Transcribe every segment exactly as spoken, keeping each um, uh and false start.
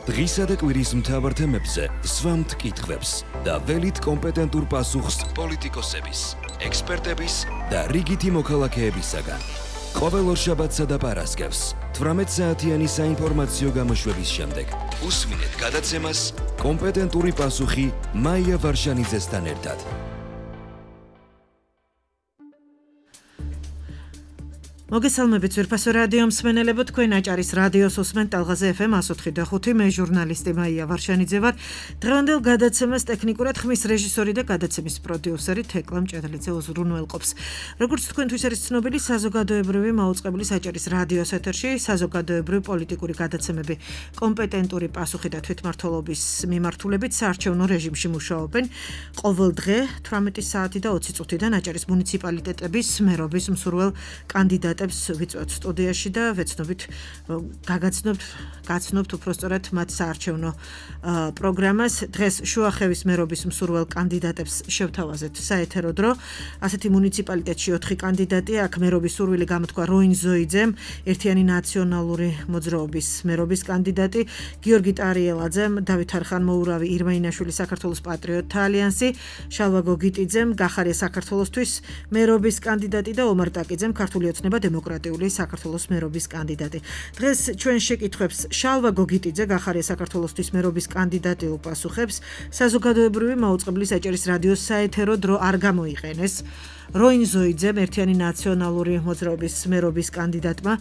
დღისა და კვირის მთავარ თემებზე სვამთ კითხვებს და ველით კომპეტენტურ პასუხს პოლიტიკოსების, ექსპერტების და რიგითი მოქალაქეებისაგან. ყოველ ორშაბათსა და პარასკევს თვრამეტ საათიანი საინფორმაციო გამოშვების შემდეგ უსმინეთ გადაცემას კომპეტენტური პასუხი მაია ვარშანიძესთან ერთად. მოგესალმებით ვერფასო რადიო მსმენელებო, თქვენ აჭარის რადიოს უსმენთ ტალღაზე ეფ ემ εκατოთხი და ხუთი, მე ჟურნალისტი მაია ვარშანიძე ვარ. დღევანდელ გადაცემას ტექნიკურად ხმის რეჟისორი და გადაცემის პროდიუსერი თეკლა მჭედლიძე უზრუნველყოფს. როგორც თქვენთვის არის ცნობილი, საზოგადოებრივი მაუწყებლის აჭარის რადიოს ეთერში საზოგადოებრივი პოლიტიკური გადაცემები კომპეტენტური პასუხი და თვითმმართველობის მიმართულებით საარჩევნო რეჟიმში მუშაობენ. ყოველ დღე თვრამეტი საათი და ოცი წუთიდან აჭარის მუნიციპალიტეტების მერობის მსურველ კანდიდატ ვიწვევთ სტუდიაში და ვეცნობით გაგაცნობთ გაცნობთ უпростоრად მათ საარჩევნო პროგრამას. დღეს შუახევის მერობის მსურველ კანდიდატებს შევთავაზეთ საეთერო დრო. ასეთი მუნიციპალიტეტში ოთხი კანდიდატია. აქ მერობის სურვილი გამოთქვა როინ ზოიძემ, ერთიანი ნაციონალური მოძრაობის მერობის კანდიდატი, გიორგი ტარიელაძემ, დავით არხანმოურავი, ირმა ინაშვილი საქართველოს პატრიოტთა ალიანსი, შალვა გოგიტიძემ, გახარია საქართველოსთვის მერობის კანდიდატი და ომარ ტაკიძემ, ქართული ოცნება დემოკრატიული საქართველოს მერობის კანდიდატი. დღეს ჩვენ შეკითხვებს შალვა გოგიტიძე, გახარია საქართველოსთვის მერობის კანდიდატი უპასუხებს. საზოგადოებრივი მაუწყებლის აჭარის რადიოს საეთერო დრო არ გამოიყენეს. როინ ზოიძემ, ერთიანი ნაციონალური მოძრაობის მერობის კანდიდატმა,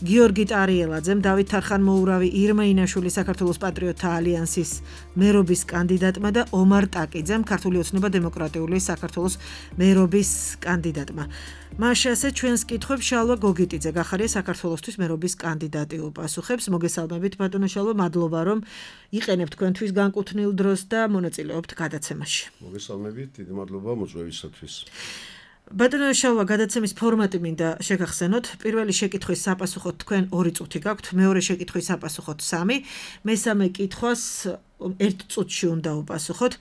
გიორგი ტარიელაძემ, დავით არხანმოურავი, ირმა ინაშვილი საქართველოს პატრიოტთა ალიანსის მერობის კანდიდატმა და ომარ ტაკიძემ, ქართული ოცნება დემოკრატიული საქართველოს მერობის კანდიდატმა. მაშასე ჩვენს კითხვებს შალვა გოგიტიძე, გახარია საქართველოსთვის მერობის კანდიდატი უპასუხებს. მოგესალმებით ბატონო შალვა, მადლობა რომ იყენებთ თქვენთვის განკუთვნილ დროს და მონაწილეობთ გადაცემაში. მოგესალმებით, დიდი მადლობა მოწვევისათვის. ბატონო შალვა, გადაცემის ფორმატი მინდა შეგახსენოთ. პირველი შეკითხვის საპასუხოდ თქვენ ორი წუთი გაქვთ, მეორე შეკითხვის საპასუხოდ სამი, მესამე კითხვას ერთ წუთში უნდა უპასუხოთ.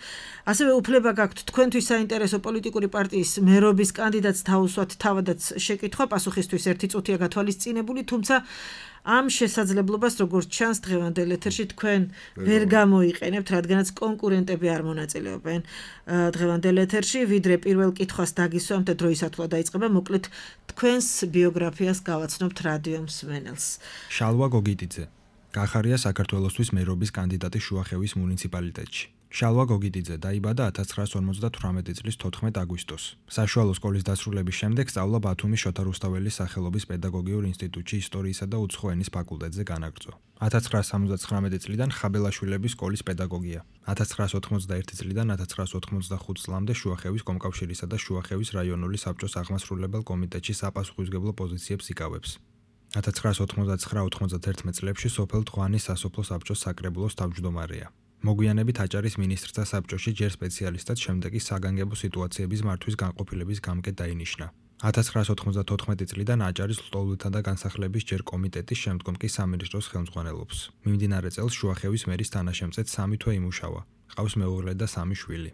ასევე უფლება გაქვთ თქვენთვის საინტერესო პოლიტიკური პარტიის მერობის კანდიდატს თავისუფლად თავადაც შეკითხვა, პასუხისთვის ერთი წუთია გათვალისწინებული, თუმცა ამ შესაძლებლობას როგორც ჩანს დღევანდელ ეთერში თქვენ ვერ გამოიყენებთ, რადგანაც კონკურენტები არ მონაწილეობენ დღევანდელ ეთერში, ვიდრე პირველ კითხვას დაგისვამთ და დროისათვლა დაიწყება, მოკლედ თქვენს ბიოგრაფიას გავაცნობთ რადიო მსმენელს. შალვა გოგიტიძე, გახარია საქართველოსთვის მერობის კანდიდატი შუახევის მუნიციპალიტეტში. შალვა გოგიტიძე დაიბადა ათას ცხრაას ორმოცდათვრამეტი წლის თოთხმეტ აგვისტოს. საშუალო სკოლის დასრულების შემდეგ სწავლა ბათუმის შოთა რუსთაველის სახელობის პედაგოგიურ ინსტიტუტში ისტორიისა და უცხო ენის ფაკულტეტზე განაგრძო. ათას ცხრაას სამოცდათხრამეტი წლიდან ხაბელაშვილების სკოლის პედაგოგია. ათას ცხრაას ოთხმოცდაერთი წლიდან ათას ცხრაას ოთხმოცდახუთ წლამდე შუახევის კომკავშირისა და შუახევის რაიონული საბჭოს აღმასრულებელ კომიტეტში საპასუხისმგებლო პოზიციებს იკავებს. ათას ცხრაას ოთხმოცდაცხრა ოთხმოცდაათი წლებში სოფელ თღვანის სასოფლო საბჭოს საკრებულოს თავმჯდომარეა. მოგვიანებით აჭარის მინისტრთა საბჭოში ჯერ სპეციალისტად, შემდეგ კი საგანგებო სიტუაციების მართვის განყოფილების გამგედ დაინიშნა. ათას ცხრაას ოცდათოთხმეტი წლიდან აჭარის ლტოლვილთა და განსახლების ჯერ კომიტეტის, შემდგომ კი სამინისტროს ხელმძღვანელობს. მიმდინარე წელს შუახევის მერის თანაშემწედ სამი თვე იმუშავა. ყავს მეუღლე და სამი შვილი.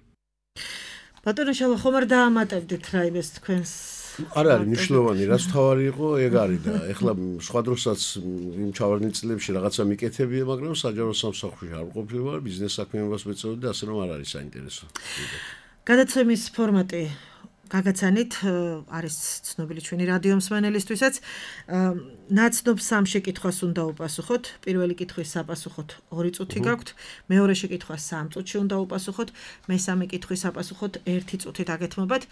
ბატონო შალვა, ხომ არ დაამატებდით რაიმეს თქვენს? არ არის მნიშვნელოვანი, რაც თავარი იყო, ეგ არის და ეხლა სხვა დროსაც იმ ჩავარდნილ წლებში რაღაცა მიკეთებია, მაგრამ საჯარო სამსახურში არ ყოფილი ვარ, ბიზნეს საქმიანობას მეწეოდა და ასე რომ არ არის საინტერესო. გადაცემის ფორმატი გაგაცანით, არის ცნობილი ჩვენი რადიო მსმენელისთვისაც. ნაცნობ სამ შეკითხვას უნდა უპასუხოთ. პირველი კითხვის საპასუხოდ ორი წუთი გაქვთ, მეორე შეკითხვას სამ წუთში უნდა უპასუხოთ, მესამე კითხვის საპასუხოდ ერთი წუთით აგეთმობათ.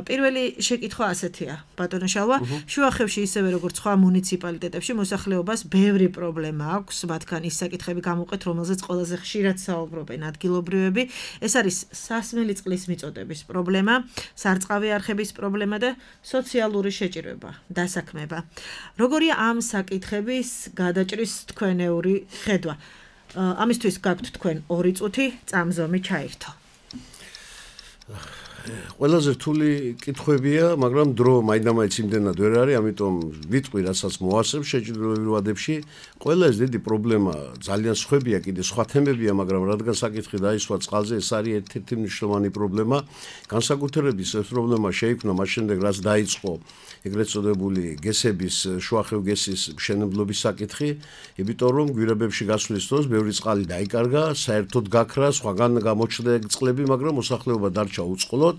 პირველი შეკითხვა ასეთია, ბატონო შალვა, შუახევში ისევე როგორც სხვა მუნიციპალიტეტებში მოსახლეობას ბევრი პრობლემა აქვს, მათგან ის საკითხები გამოვყეთ, რომელზეც ყველაზე ხშირად საუბრობენ ადგილობრივები. ეს არის სასმელი წყლის მიწოდების პრობლემა, სარწყავი არხების პრობლემა და სოციალური შეჭირება, დასაქმება. როგორია ამ საკითხების გადაჭრის თქვენეული ხედვა? ამისთვის გაქვთ თქვენ ორი წუთი, წამზომი ჩაირთო. ყველაზე რთული კითხვებია, მაგრამ დრო მაინდა-მაინც იმდენად ვერ არის, ამიტომ ვიტყვი, რასაც მოასწრებ შეჭრილობრივ ვადებში, ყველა ეს დიდი პრობლემა ძალიან სხვებია, კიდე სხვა თემებია, მაგრამ რადგან საკითხი დაისვა წყალზე, ეს არის ერთ-ერთი მნიშვნელოვანი პრობლემა. განსაკუთრებით ეს პრობლემა შეიქმნა მას შემდეგ, რაც დაიწყო ეგრეთ წოდებული გესების, შუახევ გესის მშენებლობის საკითხი, იმიტომ რომ გვირაბებში გასვლის დროს ბევრი წყალი დაიკარგა, საერთოდ გაქრა, სხვაგან გამოჩნდა წყლები, მაგრამ მოსახლეობა დარჩა უწყლოდ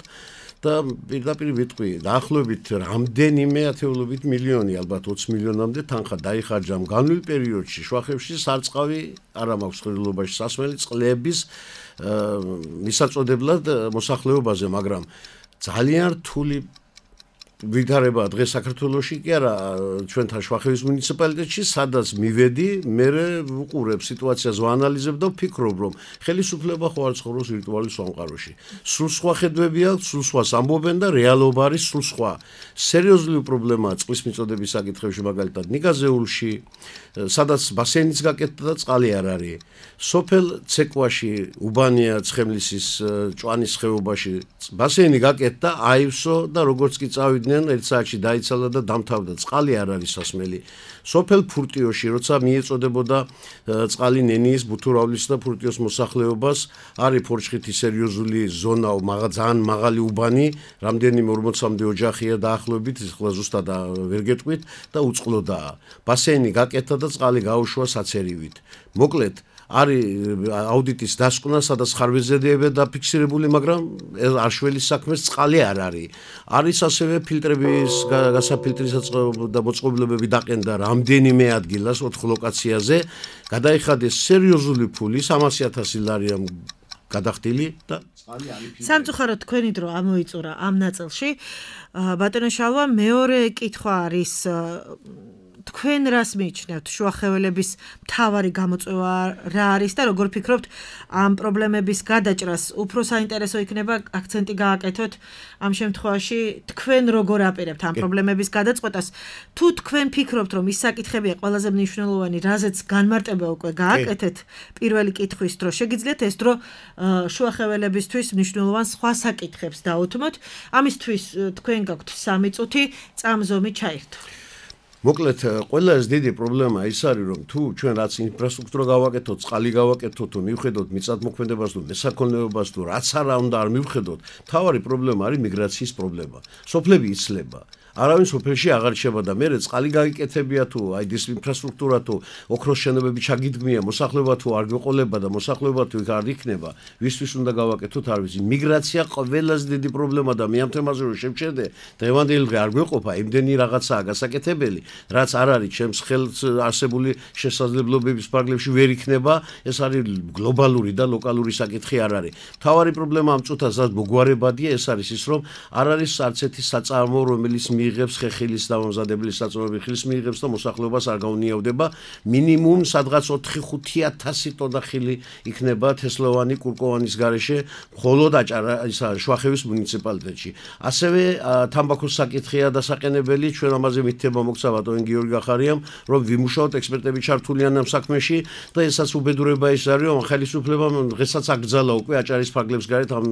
და პირდაპირ ვიტყვი, დაახლოებით რამდენიმე ათეულობით მილიონი, ალბათ ოცი მილიონამდე თანხა დაიხარჯა განვლილ პერიოდში შუახევში სარწყავი არ მაქვს ხრილობაში სასმელი წყლების მისაწოდებლად მოსახლეობაზე, მაგრამ ძალიან რთული ვითარება დღეს საქართველოში კი არა ჩვენთან შუახევის მუნიციპალიტეტში, სადაც მივედი, მე ვუყურებ სიტუაციას, ვაანალიზებ და ვფიქრობ, რომ ხელისუფლება ხო არ ცხოვრობს ვირტუალურ სამყაროში. სულ სხვა ხედვები აქვს, სულ სხვას ამბობენ და რეალობა არის სულ სხვა. სერიოზული პრობლემაა წყლის მიწოდების საკითხებში, მაგალითად ნიგაზეულში, სადაც ბასეინიც გაკეთდა და წყალი არ არის. სოფელ ცეკვაში, უბანია ცხემლისის ჭვანის ხეობაში ბასეინი გაკეთდა, აივსო და როგორც კი წავიდნენ ერთ საათში დაიცალა და დამთავრდა, წყალი არ არის სასმელი. სოფელ ფურტიოში, როცა მიეწოდებოდა წყალი ნენიის, ბუთურავლის და ფურტიოს მოსახლეობას, არის ფორჩხითი სერიოზული ზონა, ძალიან მაღალი უბანი, რამდენიმე ორმოცამდე ოჯახია დაახლოებით, ახლა ზუსტად ვერ გეტყვით და უწყლოდაა. ბასეინი გაკეთდა და წყალი გაუშვა საცერივით. მოკლედ არის აუდიტის დასკვნა, სადაც ხარვეზებია დაფიქსირებული, მაგრამ არშველის საქმეს წყალი არ არის. არის ასევე ფილტრების გასაფილტრისას და მოწყობილობები დაყენდა რამდენიმე ადგილას ოთხ ლოკაციაზე, გადაიხადეს სერიოზული ფული, სამასი ათასი ლარია გადახდილი და წყალი არის. სამწუხაროდ თქვენი დრო ამოიწურა ამ ნაწილში. ბატონო შალვა, მეორე კითხვა არის თქვენ რას მიიჩნევთ შუახეველების მთავარი გამოწვევა რა არის და როგორ ფიქრობთ ამ პრობლემების გადაჭრას უფრო საინტერესო იქნება აქცენტი გააკეთოთ ამ შემთხვევაში თქვენ როგორ აპირებთ ამ პრობლემების გადაწყვეტას თუ თქვენ ფიქრობთ რომ ის საკითხებია ყველაზე მნიშვნელოვანი რაზეც განმარტება უკვე გააკეთეთ პირველი კითხვის დრო შეგიძლიათ ეს დრო შუახეველებისთვის მნიშვნელოვან სხვა საკითხებს დაუთმოთ ამისთვის თქვენ გაქვთ სამი წუთი წამზომი ჩაერთო მოკლედ ყველა ეს დიდი პრობლემა ის არის რომ თუ ჩვენ რაც ინფრასტრუქტურა გავაკეთოთ, წყალი გავაკეთოთ, თუ მივხედოთ მიწათმოქმედებას თუ მესაქონლეობას თუ რაც არა უნდა არ მივხედოთ, თავარი პრობლემა არის მიგრაციის პრობლემა. სოფლები იცლება. არავინ სოფელში აღარ რჩება და მერე წყალი გაიკეთებია თუ აი ეს ინფრასტრუქტურა თუ ოქროს შენობები ჩაგიდგმია, მოსახლეობა თუ არ გვეყოლება და მოსახლეობა თუ არ იქნება, ვისთვის უნდა გავაკეთოთ არ ვიცი. მიგრაცია ყველაზე დიდი პრობლემა და მე ამ თემაზე რომ შევჩერდე, დღევანდელი დღე არ გვეყოფა, იმდენი რაღაცაა გასაკეთებელი, რაც არ არის ჩემს ხელს არსებული შესაძლებლობების ფარგლებში ვერ იქნება, ეს არის გლობალური და ლოკალური საკითხი არ არის. მთავარი პრობლემა ამ წუთას რაც მოგვარებადია, ეს არის ის რომ არ არის არც ერთი საწარმო, რომელიც მიიღებს ხეხილის დამამზადებელი საწარმოები ხილის მიიღებს და მოსახლეობას არ გაუნიავდება მინიმუმ სადღაც ოთხი ხუთი ათასი ტონა ხილი იქნება თესლოვანი კურკოვანის გარეშე მხოლოდ აჭარა ისა შუახევის მუნიციპალიტეტში. ასევე თამბაქოს საკითხია დასაყენებელი, ჩვენ ამაზე მითითება მოგცა ბატონ გიორგი ახარიამ, რომ ვიმუშაოთ ექსპერტები ჩართულიან ამ საქმეში და ესაც უბედურება ის არის, რომ ხელისუფლებამ დღესაც აკრძალა უკვე აჭარის ფარგლებს გარეთ ამ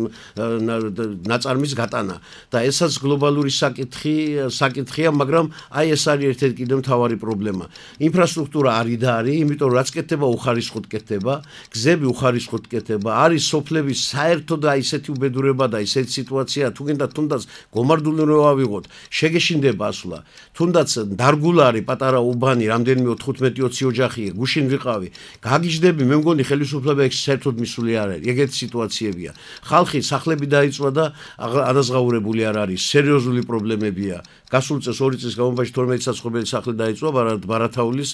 ნაწარმის გატანა და ესაც გლობალური საკითხი საკითხია, მაგრამ აი ეს არის ერთ-ერთი კიდევ მთავარი პრობლემა. ინფრასტრუქტურა არის და არის, იმიტომ რაც კეთდება უხარისხოდ კეთდება, გზები უხარისხოდ კეთდება, არის სოფლები საერთოდ აი ესეთი უბედურება და ესეთი სიტუაცია, თუ გინდა თუნდაც გომარდული რო ავიღოთ, შეგეშინდება ასვლა. თუნდაც დარგულა არის პატარა უბანი, რამდენიმე ოთხმოცდაათი ოცი ოჯახია, გუშინ ვიყავი. გაგიჯდები, მე მგონი ხელისუფლება ეგ საერთოდ მისული არ არის. ეგეთი სიტუაციებია. ხალხი სახლები დაიწვა და ადაზღაურებული არ არის, სერიოზული პრობლემებია. გასულ წელს ორი წლის განმავლობაში თორმეტი საცხობელი სახლი დაიწვა ბარათაულის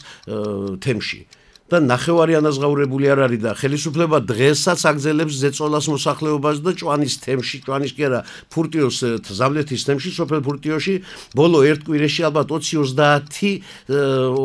თემში და ნახევარი ანაზღაურებული არ არის და ხელისუფლება დღესაც აგზელებს ზეწოლას მოსახლეობას და ჭვანის თემში, ჭვანის კი არა, ფურტიოს ზამლეთის თემში, სოფელ ფურტიოში ბოლო ერთ კვირაში ალბათ ოცი ოცდაათი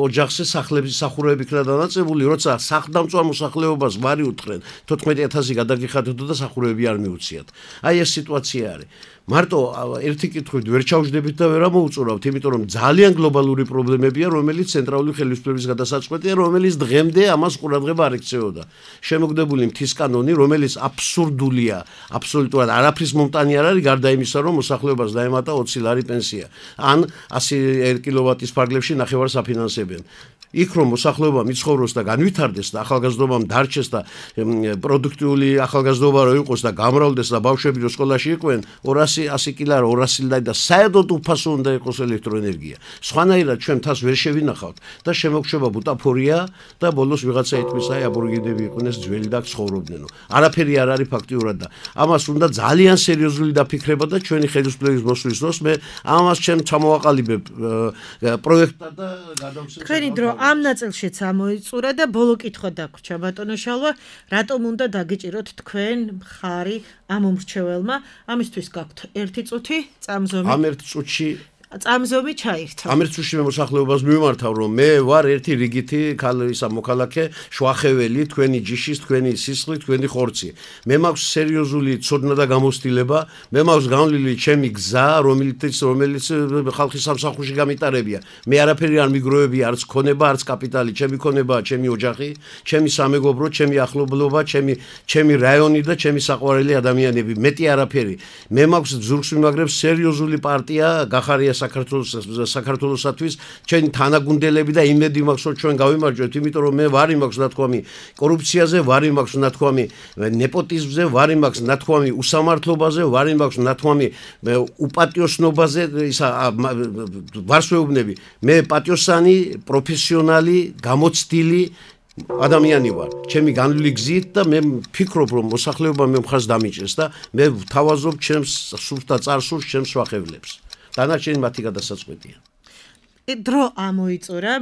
ოჯახზე სახლების სახურავები იქნა დანაწებული, როცა სახლდამწვარ მოსახლეობას ვარი უთხრენ, თოთხმეტი ათასი გადაგიხადოთ და სახურავები არ მიუციათ. აი ეს სიტუაცია არის. მარტო ერთი კითხვით ვერ ჩავждებით და ვერ ამოუწურავთ, იმიტომ რომ ძალიან გლობალური პრობლემებია, რომელიც ცენტრალური ხელისუფლების გადასაწყვეტია, რომელიც დღემდე ამას ყურადღება არ ექცეოდა. შემოგდებული მთის კანონი, რომელიც აბსურდულია, აბსოლუტურად არაფრის მომტანი არ არის, გარდა იმისა, რომ მოსახლეობას დაემატა ოცი ლარი პენსია, ან ასი კილოვატის ფარგლებში ნახევარს აფინანსებენ. იქ რომ მოსახლეობა მიცხოვროს და განვითარდეს და ახალგაზრდობამ დარჩეს და პროდუქტიული ახალგაზრდობა რო იყოს და გამრავლდეს და ბავშვები რო სკოლაში იყვნენ ორასი ასი კილო ორასი ლარი და საერთოდ უფასო უნდა იყოს ელექტროენერგია. სხვანაირად ჩვენ თავს ვერ შევინახავთ და შემოგშვება ბუტაფორია და ბოლოს ვიღაცა ეთმის აი აბორიგენები იყვნენ ძველი და ცხოვრობდნენო. არაფერი არ არის ფაქტიურად და ამას უნდა ძალიან სერიოზული დაფიქრება და ჩვენი ხელისუფლების მოსვლის დროს მე ამას ჩემ ჩამოვაყალიბებ პროექტად და გადავცემ. თქვენი დრო ამ ნაწილშიც ამოიწურა და ბოლო კითხვა დაგვრჩა ბატონო შალვა, რატომ უნდა დაგიჭიროთ თქვენ მხარი ამ უმრჩეველმა? ამისთვის გაქვთ ერთი წუთი წამზომი. ამ ერთ წუთში წამზომი ჩაირთო. ამ ერთ წუთში მე მოსახლეობას მივმართავ, რომ მე ვარ ერთი რიგითი ისა მოქალაქე, შვახეველი, თქვენი ჯიშის, თქვენი სისხლი, თქვენი ხორცი. მე მაქვს სერიოზული ცოდნა და გამოცდილება, მე მაქვს განვლილი ჩემი გზა, რომელიც რომელიც ხალხის სამსახურში გამიტარებია. მე არაფერი არ მიგროვებია, არც ქონება, არც კაპიტალი, ჩემი ქონებაა ჩემი ოჯახი, ჩემი სამეგობრო, ჩემი ახლობლობა, ჩემი ჩემი რაიონი და ჩემი საყვარელი ადამიანები. მეტი არაფერი. მე მაქვს ზურგს მიმაგრებს სერიოზული პარტია, გახარია საქართველოს საქართველოსათვის ჩვენი თანაგუნდელები და იმედი მაქვს რომ ჩვენ გავიმარჯვებთ, იმიტომ რომ მე ვარი მაქვს ნათქვამი კორუფციაზე, ვარი მაქვს ნათქვამი ნეპოტიზმზე, ვარი მაქვს ნათქვამი უსამართლობაზე, ვარი მაქვს ნათქვამი უპატიოსნობაზე, ისა ვარსვეუბნები. მე პატიოსანი, პროფესიონალი, გამოცდილი ადამიანი ვარ. ჩემი განვლილი გზით და მე ვფიქრობ რომ მოსახლეობა მე მხარს დამიჭერს და მე ვთავაზობ ჩემს სულს და წარსულს, ჩემს სვახევლებს. დანარჩენი მათი გადასაწყვეტია. დრო ამოიწურა.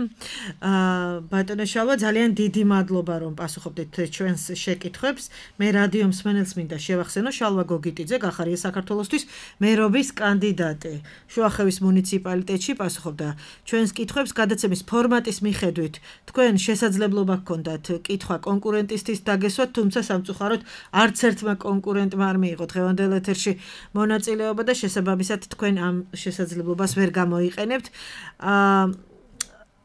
ბატონო შალვა, ძალიან დიდი მადლობა რომ პასუხობდით ჩვენს შეკითხვებს. მე რადიო მსმენელს მინდა შევახსენო, შალვა გოგიტიძე გახარია საქართველოსთვის მერობის კანდიდატი. შუახევის მუნიციპალიტეტში პასუხობდა ჩვენს კითხვებს გადაცემის ფორმატის მიხედვით. თქვენ შესაძლებლობა გქონდათ კითხვა კონკურენტისთვის დაგესვათ, თუმცა სამწუხაროდ არც ერთმა კონკურენტმა არ მიიღო დღევანდელ ეთერში მონაწილეობა და შესაბამისად თქვენ ამ შესაძლებლობას ვერ გამოიყენებთ.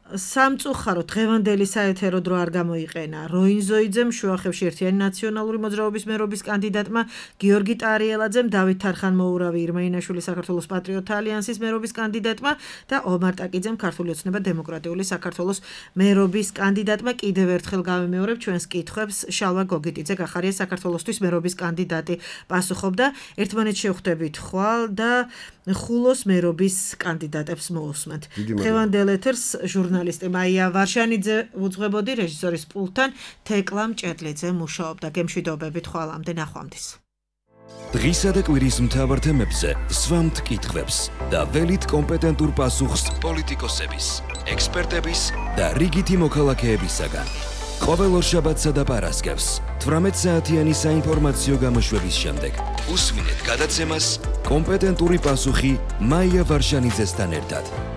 სამწუხაროდ დღევანდელი საეთერო დრო არ გამოიყენა როინ ზოიძემ, შუახევში ერთიანი ნაციონალური მოძრაობის მერობის კანდიდატმა, გიორგი ტარიელაძემ, დავით თარხან-მოურავი, ირმა-ინაშვილი საქართველოს პატრიოტთა ალიანსის მერობის კანდიდატმა და ომარ ტაკიძემ, ქართული ოცნება დემოკრატიული საქართველოს მერობის კანდიდატმა. კიდევ ერთხელ გავიმეორებ ჩვენს კითხვებს. შალვა გოგიტიძე გახარია საქართველოსთვის მერობის კანდიდატი პასუხობდა. ერთმანეთს შევხვდებით ხვალ და ხულოს მერობის კანდიდატებს მოусმენთ. დღევანდელ ეთერს ჟურნალისტი მაია ვარშანიძე უძღვებოდი, რეჟისორის პულტთან თეკლა მჭედლიძე მუშაობდა. გემშვიდობებით ხვალამდე, ნახვამდის. დღისა და კვირის მთავარ თემებზე სვამთ კითხვებს და ველით კომპეტენტურ პასუხს პოლიტიკოსების, ექსპერტების და რიგითი მოქალაქეებისაგან. ყოველ ორშაბათსა და პარასკევს თვრამეტ საათიანი საინფორმაციო გამოშვების შემდეგ უსმინეთ გადაცემას კომპეტენტური პასუხი მაია ვარშანიძესთან ერთად.